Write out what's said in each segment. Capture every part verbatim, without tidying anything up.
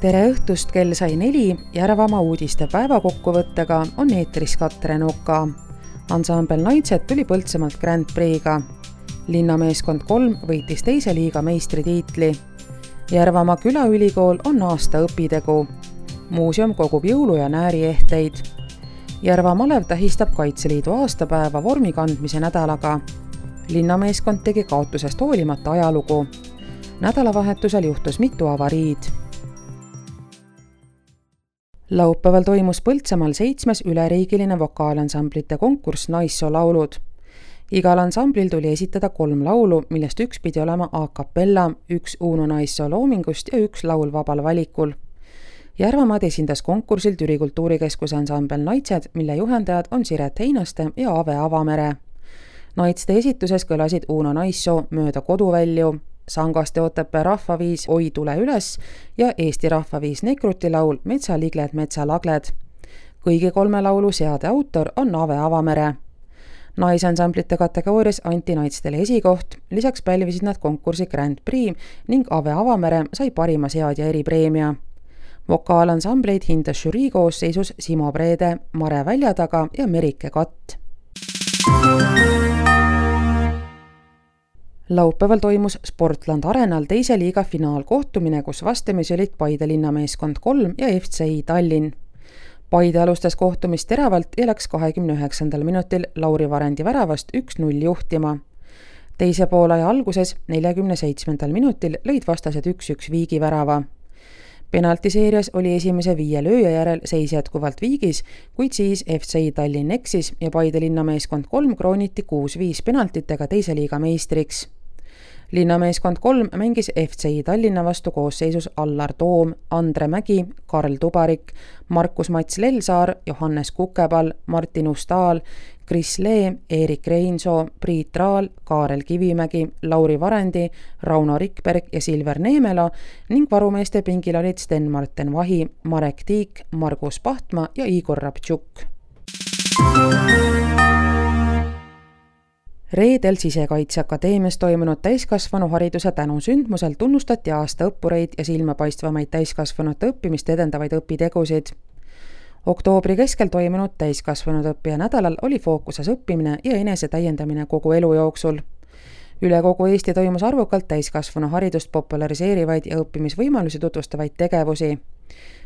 Tere õhtust, kell sai neli, Järvamaa uudiste päevakokkuvõttega on eetris Katrin Oka. Ansambel Naitsed tuli Põltsamaalt Grand Prix'ga. Linnameeskond kolm võitis teise liiga meistritiitli. Järvamaa külaülikool on aasta õpitegu. Muuseum kogub jõulu- ja nääriehteid. Järva Malev tähistab Kaitseliidu aastapäeva vormi kandmise nädalaga. Linnameeskond tegi kaotusest hoolimata ajalugu. Nädalavahetusel juhtus mitu avariid. Laupäeval toimus Põltsamaal seitsmes üleriigiline vokaalansamblite konkurss Naissoo laulud. Igal ansamblil tuli esitada kolm laulu, millest üks pidi olema a cappella, üks Uno Naissoo loomingust ja üks laul vabal valikul. Järvamaad esindas konkursil Türi kultuurikeskuse ansambel Naitsed, mille juhendajad on Siret Heinaste ja Ave Avamere. Naitste esituses kõlasid Uno Naissoo Mööda koduvälju, Sangaste Otepää rahvaviis Oi tule üles ja Eesti rahvaviis Nekruti laul Metsaligled, metsalagled. Kõigi kolme laulu seade autor on Ave Avamere. Naisansamblite kategoorias anti naistele esikoht, lisaks pälvisid nad konkursi Grand Prix ning Ave Avamere sai parima seadja eripreemia. Vokaalansambleid hindas žürii koosseisus Simo Preede, Mare Väljataga ja Merike Katt. Laupäeval toimus Sportland Arenal teise liiga finaalkohtumine, kus vastamisi olid Paide Linnameeskond kolm ja F C I Tallinn. Paide alustas kohtumist teravalt ja läks kahekümne üheksandal minutil Lauri Varendi väravast üks null juhtima. Teise poolaja alguses neljakümne seitsmendal minutil lõid vastased üks üks viigi värava. Penaltiseerias oli esimese viie lööja järel seis jätkuvalt viigis, kuid siis F C I Tallinn eksis ja Paide Linnameeskond kolm krooniti kuus viis penaltitega teise liiga meistriks. Linnameeskond kolm mängis F C I Tallinna vastu koosseisus Allar Toom, Andre Mägi, Karl Tubarik, Markus Mats Lelsaar, Johannes Kukepall, Martin Ustaal, Kris Lee, Erik Reinsoo, Priit Raal, Kaarel Kivimägi, Lauri Varendi, Rauno Rikberg ja Silver Neemela ning varumeeste pingil olid Sten-Marten Vahi, Marek Tiik, Margus Pahtma ja Igor Rabtšuk. Reedel Sisekaitseakadeemias toimunud täiskasvanuhariduse tänusündmusel tunnustati aasta õppureid ja silmapaistvamaid täiskasvanute õppimist edendavaid õpitegusid. Oktoobri keskel toimunud täiskasvanud õppija nädalal oli fookuses õppimine ja enese täiendamine kogu elu jooksul. Üle kogu Eesti toimus arvukalt täiskasvanu haridust populariseerivaid ja õppimisvõimalusi tutvustavaid tegevusi.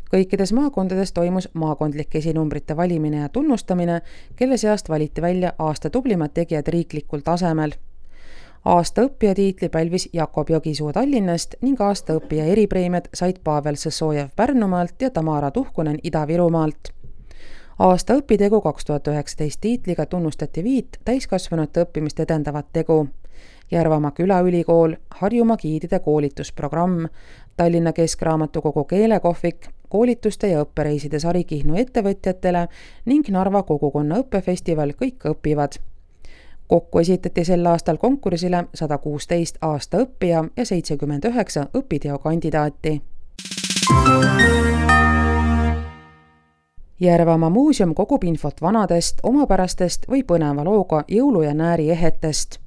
Kõikides maakondades toimus maakondlike esinumbrite valimine ja tunnustamine, kelle seast valiti välja aasta tublimad tegijad riiklikul tasemel. Aasta õppija tiitli pälvis Jakob Jogisuu Tallinnast ning aasta õppija eripreemiad said Pavel Sõssojev Pärnumaalt ja Tamara Tuhkunen Ida-Virumaalt. Aasta õpitegu kaks tuhat üheksateist tiitliga tunnustati viit täiskasvanute õppimist edendavat tegu. Järvamaa külaülikool, Harjumaa giidide koolitusprogramm, Tallinna Keskraamatukogu keelekohvik, koolituste ja õppereiside sari Kihnu ettevõtjatele ning Narva kogukonna õppefestival Kõik õpivad. Kokku esitati sel aastal konkursile sada kuusteist aasta õppija ja seitsekümmend üheksa õpiteo kandidaati. Järvamaa muuseum kogub infot vanadest, omapärastest või põneva looga jõulu- ja nääriehetest.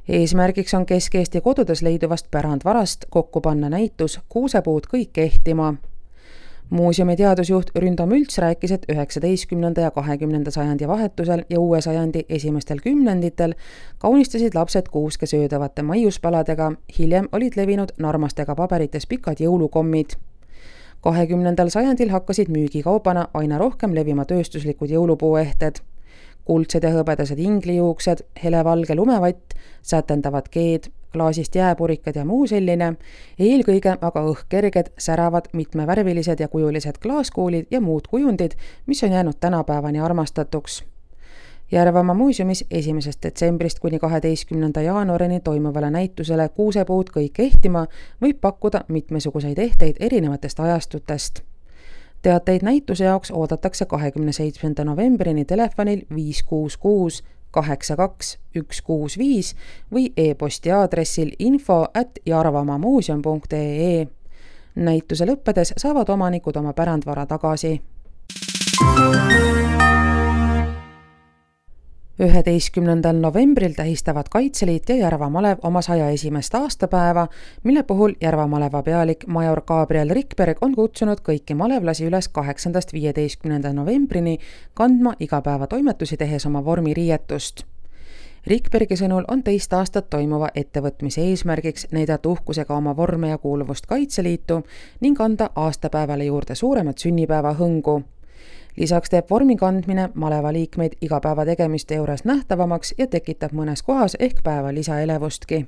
Eesmärgiks on Kesk-Eesti kodudes leiduvast pärandvarast kokku panna näitus Kuusepuud kõik kehtima. Muuseumi teadusjuht Ründo Mülts rääkis, et üheksateistkümnenda ja kahekümnenda sajandi vahetusel ja uue sajandi esimestel kümnenditel kaunistasid lapsed kuuske söödavate maiuspaladega, hiljem olid levinud narmastega paberites pikad jõulukommid. kahekümnendal sajandil hakkasid müügikaubana aina rohkem levima tööstuslikud jõulupuuehted. Kuldsed ja hõbedased inglijuuksed, helevalge lumevatt, sätendavad keed, klaasist jääpurikad ja muu selline, eelkõige aga õhkerged, säravad, mitmevärvilised ja kujulised klaaskuulid ja muud kujundid, mis on jäänud tänapäevani armastatuks. Järvamaa muuseumis esimesest detsembrist kuni kaheteistkümnenda jaanuarini toimuvale näitusele Kuusepuud kõik kehtima võib pakkuda mitmesuguseid ehteid erinevatest ajastutest. Teateid näituse jaoks oodatakse kahekümne seitsmenda novembrini telefonil viis kuus kuus kaheksa kaks üks kuus viis või e-posti aadressil info at jarvamaamuuseum punkt ee. Näituse lõppedes saavad omanikud oma pärandvara tagasi. üheteistkümnendal novembril tähistavad Kaitseliit ja Järva malev oma saja esimest aastapäeva, mille puhul Järva maleva pealik major Gabriel Rikberg on kutsunud kõiki malevlasi üles kaheksandast viieteistkümnenda novembrini kandma igapäevatoimetusi tehes oma vormiriietust. Rikbergi sõnul on teist aastat toimuva ettevõtmise eesmärgiks näidata uhkusega oma vorme ja kuuluvust Kaitseliitu ning anda aastapäevale juurde suuremat sünnipäeva hõngu. Lisaks teeb vormi kandmine maleva liikmeid igapäeva tegemiste juures nähtavamaks ja tekitab mõnes kohas ehk päeva lisaelevustki.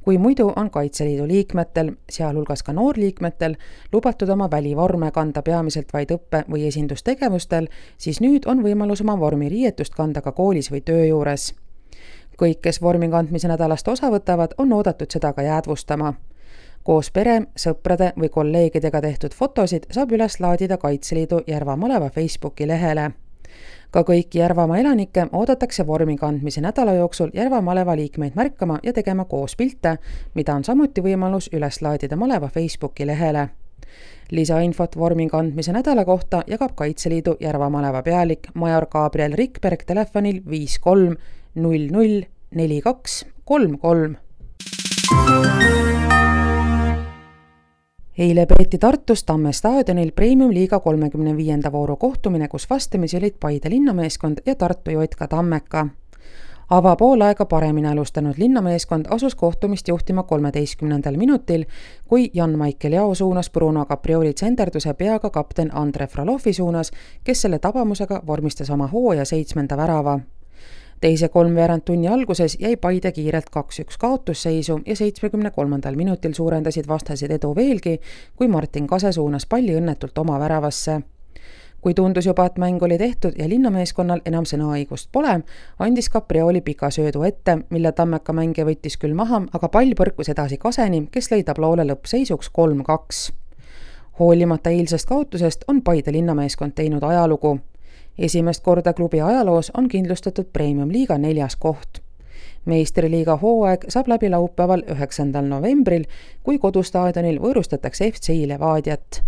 Kui muidu on Kaitseliidu liikmetel, sealhulgas ka noorliikmetel, lubatud oma välivorme kanda peamiselt vaid õppe- või esindustegevustel, siis nüüd on võimalus oma vormiriietust kanda ka koolis või töö juures. Kõik, kes vormi kandmise nädalast osa võtavad, on oodatud seda ka jäädvustama. Koos pere, sõprade või kolleegidega tehtud fotosid saab üles laadida Kaitseliidu Järva maleva Facebooki lehele. Ka kõiki Järvamaa elanikke oodatakse vormi kandmise nädala jooksul Järva maleva liikmeid märkama ja tegema koos pilte, mida on samuti võimalus üles laadida maleva Facebooki lehele. Lisainfot vormi kandmise nädala kohta jagab Kaitseliidu Järva maleva pealik major Gabriel Rikberg telefonil viis kolm null null neli kaks kolm kolm. Eile peeti Tartus Tamme staadionil Premium-liiga kolmekümne viienda vooru kohtumine, kus vastamisi olid Paide linnameeskond ja Tartu J K Tammeka. Ava pool aega paremini alustanud linnameeskond asus kohtumist juhtima kolmeteistkümnendal minutil, kui Jan-Michael Jao suunas Bruno Caprioli tsenderduse peaga kapten Andre Frolovi suunas, kes selle tabamusega vormistas oma hooaja seitsmenda värava. Teise kolmveerand tunni alguses jäi Paide kiirelt kaks üks kaotusseisu ja seitsmekümne kolmandal minutil suurendasid vastased edu veelgi, kui Martin Kase suunas palli õnnetult oma väravasse. Kui tundus juba, et mäng oli tehtud ja linnameeskonnal enam sõnaõigust pole, andis Caprioli pika söödu ette, mille Tammeka mängija võttis küll maha, aga pall põrkus edasi Kaseni, kes lõi tabloole lõppseisuks kolm kaks. Hoolimata eilsest kaotusest on Paide linnameeskond teinud ajalugu. Esimest korda klubi ajaloos on kindlustatud Premium-liiga neljas koht. Meistriliiga hooaeg saab läbi laupäeval üheksandal novembril, kui kodustaadionil võõrustatakse F C Levadiat.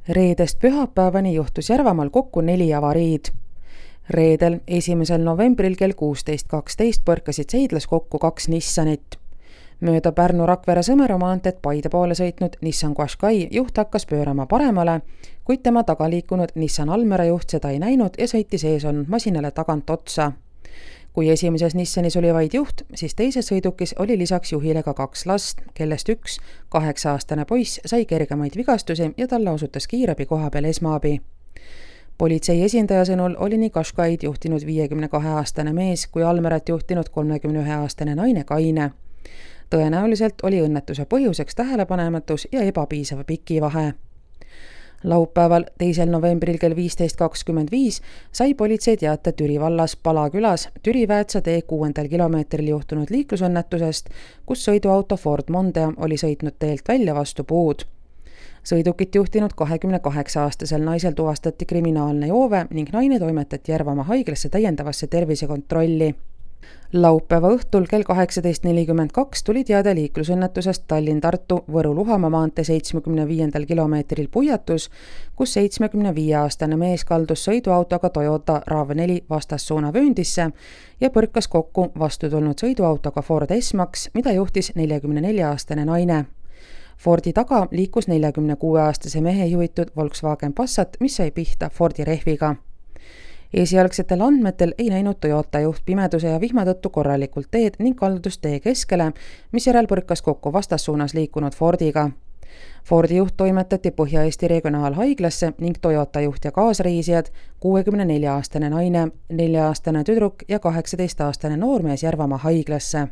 Reedest pühapäevani juhtus Järvamaal kokku neli avariid. Reedel esimesel novembril kell kuusteist kaksteist põrkasid Seidlas kokku kaks Nissanit. Mööda Pärnu-Rakvere Sõmera maanteed Paide poole sõitnud Nissan Qashqai juht hakkas pöörama paremale, kuid tema taga liikunud Nissan Almera juht seda ei näinud ja sõitis ees olnud masinale tagant otsa. Kui esimeses Nissanis oli vaid juht, siis teises sõidukis oli lisaks juhile ka kaks last, kellest üks, kaheksa-aastane poiss, sai kergemaid vigastusi ja talle osutas kiirabi koha peal esmaabi. Politsei esindaja sõnul oli nii Qashqaid juhtinud viiekümne kahe aastane mees kui Almerat juhtinud kolmekümne ühe aastane naine Kaine. Tõenäoliselt oli õnnetuse põhjuseks tähelepanematus ja ebapiisav pikivahe. Laupäeval teisel novembril kell viisteist kakskümmend viis sai politsei teate Türi vallas Palakülas Türi-Väätsa tee kuuendal kilomeetril juhtunud liiklusõnnetusest, kus sõiduauto Ford Mondeo oli sõitnud teelt välja vastu puud. Sõidukit juhtinud kahekümne kaheksa aastasel naisel tuvastati kriminaalne joove ning naine toimetati Järvamaa haiglasse täiendavasse tervisekontrolli. Laupäeva õhtul kell kaheksateist nelikümmend kaks tuli teade liiklusõnnetusest Tallinn-Tartu Võru-Luhamaa maantee seitsmekümne viiendal kilomeetril Puiatus, kus seitsmekümne viie aastane mees kaldus sõiduautoga Toyota RAV neli vastassuuna vööndisse ja põrkas kokku vastu tulnud sõiduautoga Ford S-Max, mida juhtis neljakümne nelja aastane naine. Fordi taga liikus neljakümne kuue aastase mehe juhitud Volkswagen Passat, mis sai pihta Fordi rehviga. Esialgsetel andmetel ei näinud Toyota juht pimeduse ja vihma tõttu korralikult teed ning kaldus tee keskele, mis järel põrkas kokku vastassuunas liikunud Fordiga. Fordi juht toimetati Põhja-Eesti regionaalhaiglasse ning Toyota juht ja kaasreisijad, kuuekümne nelja aastane naine, nelja aastane tüdruk ja kaheksateist aastane noormees Järvamaa haiglasse.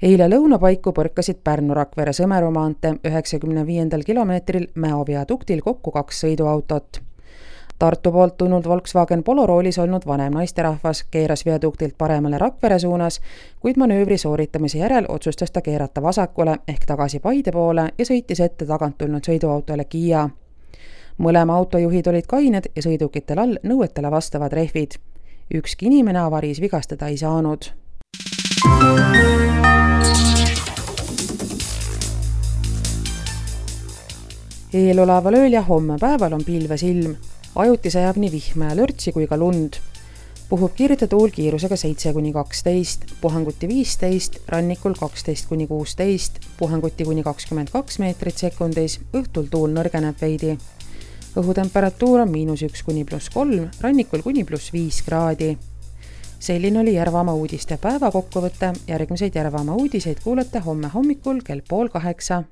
Eile lõunapaiku põrkasid Pärnu-Rakvere Sõmeru maantee üheksakümne viiendal kilomeetril Mäo viaduktil kokku kaks sõiduautot. Tartu poolt tulnud Volkswagen Polo roolis olnud vanem naisterahvas keeras viaduktilt paremale Rakvere suunas, kuid manöövri sooritamise järel otsustas ta keerata vasakule ehk tagasi Paide poole ja sõitis ette tagant tulnud sõiduautole Kia. Mõlema autojuhid olid kained ja sõidukitel all nõuetele vastavad rehvid. Ükski inimene avariis vigastada ei saanud. Eeloleval ööl ja homme päeval on pilves ilm. Ajutise sajab nii vihma ja lörtsi kui ka lund. Puhub kiirte tuul kiirusega seitse kuni kaksteist, puhanguti viisteist, rannikul kaksteist kuni kuusteist, puhanguti kuni kakskümmend kaks meetrit sekundis, õhtul tuul nõrgeneb veidi. Õhutemperatuur on miinus üks kuni pluss kolm, rannikul kuni pluss viis kraadi. Selline oli Järvamaa uudiste päeva kokkuvõte. Järgmiseid Järvamaa uudiseid kuulete homme hommikul kell pool kaheksa.